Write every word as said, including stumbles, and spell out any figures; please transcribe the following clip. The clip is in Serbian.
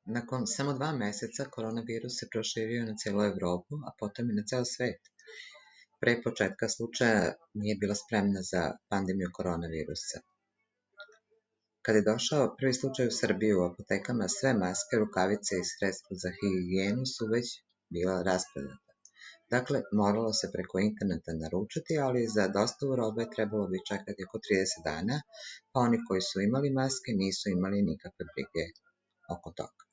Nakon samo dva meseca koronavirus se proširio na celu Evropu, a potom i na ceo svet. Pre početka slučaja nije bila spremna za pandemiju koronavirusa. Kada je došao prvi slučaj u Srbiji u apotekama, sve maske, rukavice i sredstva za higijenu su već bila rasprodata. Dakle, moralo se preko interneta naručiti, ali za dostavu robe trebalo bi čekati oko trideset dana, pa oni koji su imali maske nisu imali nikakve brige oko toga.